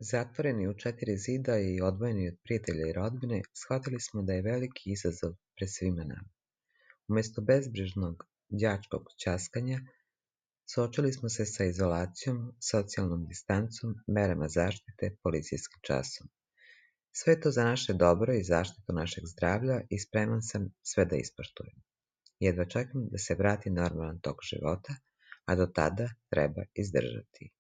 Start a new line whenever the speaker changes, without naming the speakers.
Zatvoreni u 4 zida i odvojeni od prijatelja i rodbine, shvatili smo da je veliki izazov pred svima nama. Umjesto bezbrižnog đačkog ćaskanja, suočili smo se sa izolacijom, socijalnom distancom, merama zaštite, policijskim časom. Sve to za naše dobro i zaštitu našeg zdravlja i spreman sam sve da ispoštujem. Jedva čekam da se vrati normalan tok života, a do tada treba izdržati.